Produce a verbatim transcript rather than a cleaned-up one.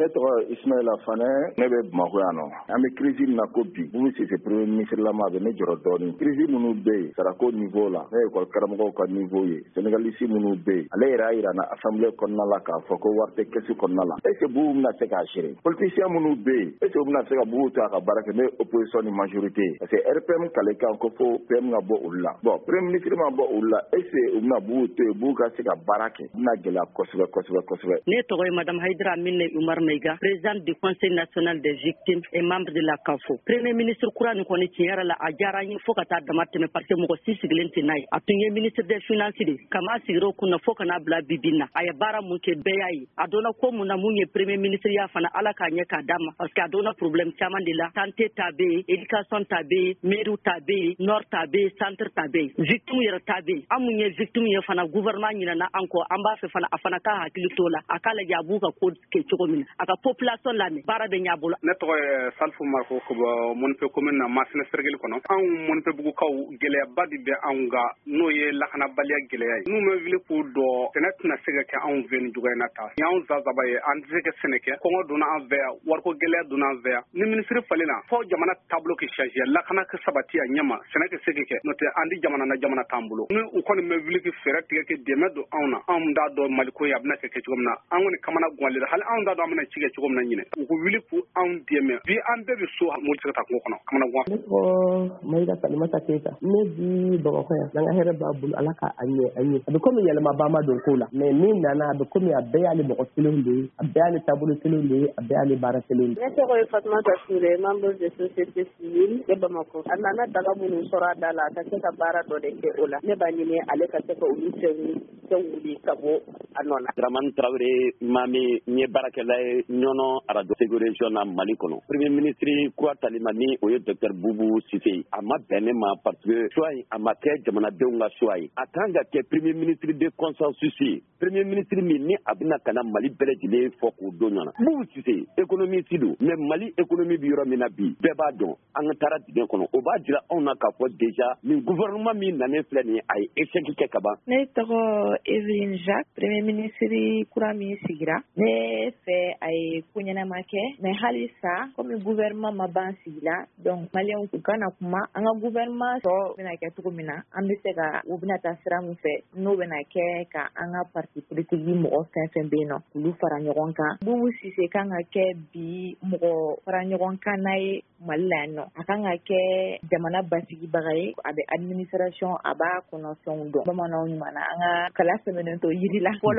Ne tɔgɔ Ismaila Fanɛ, ne bɛ Bamakɔ yan nɔ. An bɛ crise min na ko bi, Boubou Cissé premier ministre lama, a bɛ ne jɔrɔ dɔɔnin. Crise minnu bɛ yen sarako niveau la, ne ye école karamɔgɔw ka niveau ye, syndicaliste minnu bɛ yen, ale yɛrɛ y'a jira na assemblée kɔnɔna la k'a fɔ ko wari tɛ caisse kɔnɔna la. Est ce que Boubou bɛna se k'a gérer? Politicien minnu bɛ yen, est ce que u bɛna se ka Boubou to a ka baara kɛ, n'o ye opposition ni majorité ye? Parce que R P M kale kan ko fo P M ka bɔ olu la. Bon, premier ministre ma bɔ olu la, est ce que u bɛna Boubou to yen, Boubou ka se ka baara kɛ? U bɛna gɛlɛya kosɛbɛ kosɛbɛ kosɛbɛ. Ne tɔgɔ ye madame Haidara Minɛ Umar Maïga, présidente du Conseil national des victimes et membre de la CAFO. Premier ministre kura nin kɔni, tiɲɛ yɛrɛ la, a diyara n ye fo ka taa dama tɛmɛ, parce que mɔgɔ si sigilen tɛ n'a ye. A tun ye ministre des Finances de kama sigira o kunna fo ka n'a bila bibi na. A ye baara mun kɛ, bɛɛ y'a ye. A donna ko mun na, mun ye premier ministre ya fana, Ala k'a ɲɛ k'a d'a ma, parce que a donna problème caman de la. Santé ta bɛ yen, éducation ta bɛ yen, mairie ta bɛ yen, nord ta bɛ yen, centre ta bɛ yen, victime yɛrɛ ta bɛ yen. An mun ye victime ye fana, gouvernement ɲinɛna an kɔ. An b'a fɛ fana, a fana ka hakili t'o la, a k'a lajɛ a b'u ka ko kɛ cogo min na, a ka population lamɛn, baara bɛ ɲɛ a bolo. Ne tɔgɔ ye Salifu Mariko, ka bɔ Mɔnipɛ commune na, Masina cercle kɔnɔ. Anw Mɔnipɛbugukaw, gɛlɛyaba de bɛ anw kan, n'o ye lakanabaliya gɛlɛya ye. N'u ma wuli k'u dɔ, sɛnɛ tɛna se ka kɛ anw fɛ nin cogoya in na ta. Ni anw zazaba ye, an tɛ se ka sɛnɛ kɛ. Kɔngɔ donna an fɛ yan, wariko gɛlɛya donna an fɛ yan. Ni minisiri falenna, fɔ jamana taabolo ka changer, lakana ka sabati a ɲɛma, sɛnɛ ka se ka kɛ. N'o tɛ, an di jamana na, jamana t'an bolo. Ni u kɔni bɛ wuli ka fɛɛrɛ tigɛ ka dɛmɛ don anw na, anw t'a dɔn Maliko ye a bɛna kɛ kɛ cogo min na. An kɔni kamana ganlen don, hali anw t'a dɔn an bɛna ci kɛ cogo min na ɲinɛ. U ko wuli k'u anw dɛmɛ bi, an bɛɛ bɛ so, mobili tɛ se ka taa kungo kɔnɔ, kamana gan. Ne tɔgɔ Mayiga Salimata Keyita, ne bi Bamakɔ yan. N'an ka hɛrɛ b'a bolo, Ala ka a ɲɛ an ye. A bɛ komi yɛlɛmaba ma don ko la, mais min nana, a bɛ komi a bɛɛ y'ale mɔgɔ kelenw de ye, a bɛɛ y'ale taabolo kelenw de ye, a bɛɛ y'ale baara kelenw de ye. Ne tɔgɔ ye Fatumata Ture, membre de société civile de Bamakɔ. A nana daga minnu sɔrɔ a da la, a ka se ka baara dɔ de kɛ o la. Ne b'a ɲini ale ka se ka olu fɛn fɛn wuli ka bɔ a nɔ na. Dramani Tarawele Mami, n ye baarakɛla ye Ɲɔnɔ arajo Segu région na, Mali kɔnɔ. Premier ministre kura talima ni o ye docteur Boubou Cissé ye, a ma bɛn ne ma, parce que choix in, a ma kɛ jamanadenw ka choix ye. A kan ka kɛ premier ministre de consensus ye, premier ministre min ni a bɛna ka na Mali bɛɛ lajɛlen fɔ k'o don ɲɔgɔn na. Boubou Cissé, économiste don, mais Mali économie bɛ yɔrɔ min na bi, bɛɛ b'a dɔn an ka taara dingɛ kɔnɔ. O b'a jira anw na k'a fɔ déjà nin gouvernement min nanen filɛ nin ye, a ye échec kɛ ka ban. Ne tɔgɔ Evelyne Jacques. Premier ministre kura min sigira, ne fɛ a ye ko ɲɛnama kɛ, mais halisa komi gouvernement ma ban sigi la, donc maliyɛnw u kana kuma an ka gouvernement tɔ bɛna kɛ cogo min na, an bɛ se ka u bɛna taa sira min fɛ, n'o bɛna kɛ ka an ka parti politique mɔgɔ fɛn fɛn bɛ yen nɔ, k'olu fara ɲɔgɔn kan. Boubou Cissé kan ka kɛ bi mɔgɔ fara ɲɔgɔn kan n'a ye Mali la yan nɔ. A kan ka kɛ jamana basigibaga ye, a bɛ administration, a b'a kɔnɔ fɛnw dɔn. Bamananw ɲuman na, an ka kala sɛmɛnen to yiri la fɔlɔ.